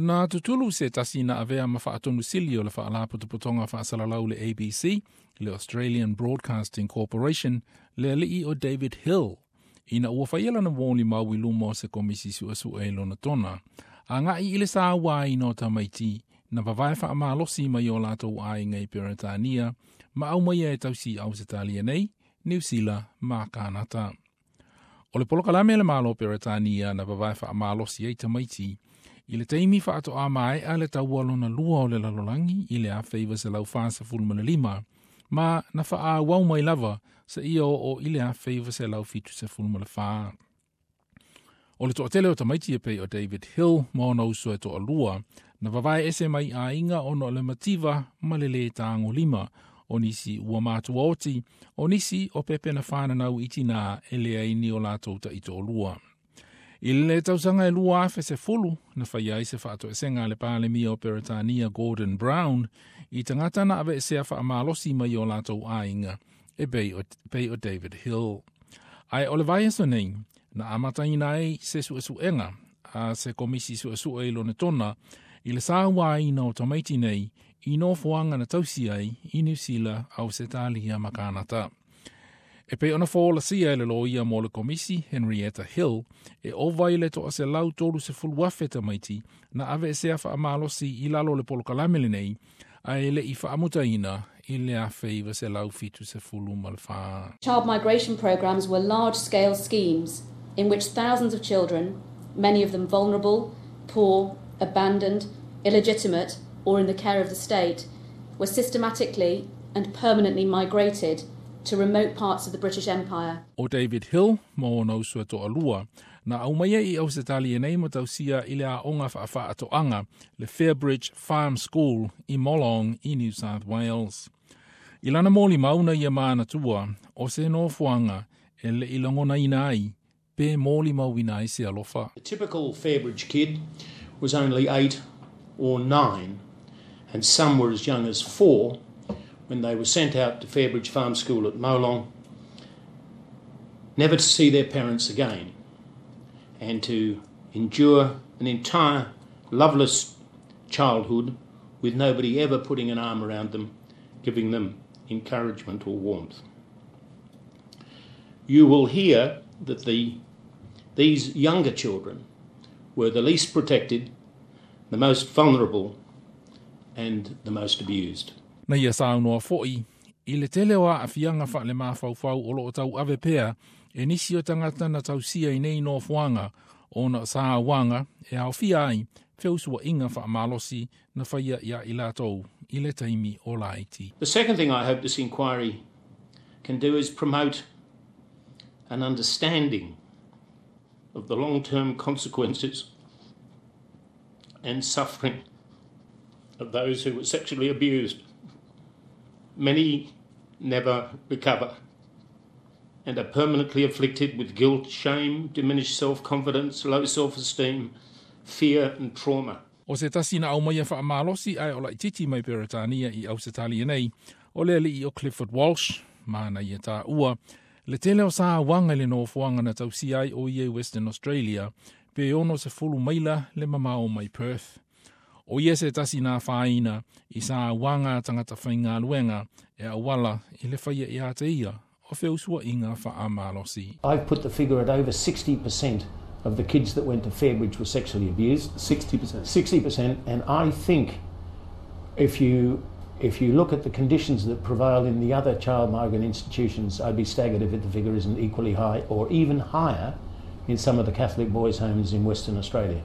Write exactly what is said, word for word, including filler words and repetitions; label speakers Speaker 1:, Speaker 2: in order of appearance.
Speaker 1: Na tutulu se tasi na avea ma faatonusili o le faalapotopotoga faasalalau le A B C, le Australian Broadcasting Corporation, le alii o David Hill, ina ua faia lana molimau i luma o se komisi suesue i Lonotona, agai i le sauaina o tamaiti na vavae faamalosi mai o latou aiga i Peretania ma aumaia e tausi i Ausetalia nei, Niu Sila ma Kanata. O le polokalame le Malo Peretania na vavae faamalosi ai tamaiti i le taimi faatoa maea le taua lona lua o le lalolagi i le afe iva selau fasefulu ma le lima, ma na faaauau mai lava seia oo i le afe iva selau fitusefulu ma le fa. O le toatele o tamaiti e pei o David Hill ma ona uso e toalua na vavae ese mai aiga ona o le mativa ma le lē tagolima, o nisi ua matua oti, o nisi o pepe na whananau i tina e leai ni o latou taitoalua. I le tausaga e lua afe sefulu, na fai ai se faatoesega a le Palemia o Peretania Gordon Brown i tagata na aveesea faamalosi mai o latou aiga e pei o, pei o David Hill. Ae o le vaiaso nei, na amataina ai se suesuega a se komisi suesue i Lonotona i le sauaina o tamaiti nei i nofoaga na tausi ai i Niu Sila, Ausetalia ma Kanata. E pei ona folasia e le loia mo le komisi Henrietta Hill, e ova i le toa selau tolu sefulu afe tamaiti na aveesea faamalosi i lalo le polokalame lenei, ae le i faamutaina i le afe iva selau fitu sefulu ma le fa.
Speaker 2: Child migration programs were large-scale schemes in which thousands of children, many of them vulnerable, poor, abandoned, illegitimate, or in the care of the state, were systematically and permanently migrated to remote parts of the British Empire.
Speaker 1: O David Hill ma ona uso e toalua na aumaia i Ausetalia nei ma tausia i le aoga faafaatoaga le Fairbridge Farm School i Molong i New South Wales. I lana molimau na ia manatua o se nofoaga e le i lagonaina ai pe molimauina ai se alofa.
Speaker 3: The typical Fairbridge kid was only eight or nine, and some were as young as four when they were sent out to Fairbridge Farm School at Molong, never to see their parents again, and to endure an entire loveless childhood with nobody ever putting an arm around them, giving them encouragement or warmth. You will hear that the, these younger children were the least protected, the most vulnerable, and the most abused.
Speaker 1: Na ia saunoa foi i le tele o aafiaga faale-mafaufau o loo tauave pea e nisi o tagata na tausia i nei nofoaga ona sauaga e aofia ai feusuaiga faamalosi na faia ia i latou i le taimi o laiti.
Speaker 3: The second thing I hope this inquiry can do is promote an understanding of the long-term consequences and suffering of those who were sexually abused. Many never recover and are permanently afflicted with guilt, shame, diminished self-confidence, low self-esteem, fear and trauma.
Speaker 1: O se tasi na aumaia faamalosi ae o laititi mai Peretania i Ausetalia nei, o le alii o Clifford Walsh, ma na ia taua le tele o sauaga i le nofoaga na tausia ai o ia i Western Australia, pe ono sefulu maila le mamao mai Perth. O ia se tasi na afaina i sauaga a tagata faigaluega e auala i le faia ia te ia o feusuaiga faamalosi.
Speaker 3: I've put the figure at over sixty percent of the kids that went to Fairbridge were sexually abused.
Speaker 4: sixty percent.
Speaker 3: sixty percent, and I think if you if you look at the conditions that prevail in the other child migrant institutions, I'd be staggered if the figure isn't equally high or even higher in some of the Catholic boys' homes in Western Australia.